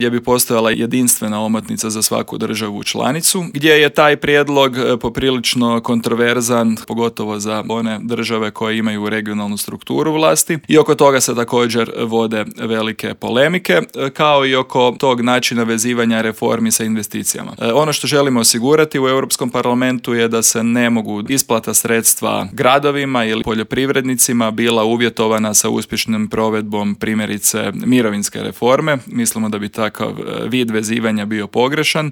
gdje bi postojala jedinstvena omotnica za svaku državu članicu, gdje je taj prijedlog poprilično kontroverzan, pogotovo za one države koje imaju regionalnu strukturu vlasti, i oko toga se također vode velike polemike, kao i oko tog načina vezivanja reformi sa investicijama. Ono što želimo osigurati u Europskom parlamentu je da se ne mogu isplata sredstva gradovima ili poljoprivrednicima bila uvjetovana sa uspješnom provedbom primjerice mirovinske reforme. Mislimo da bi takav vid vezivanja bio pogrešan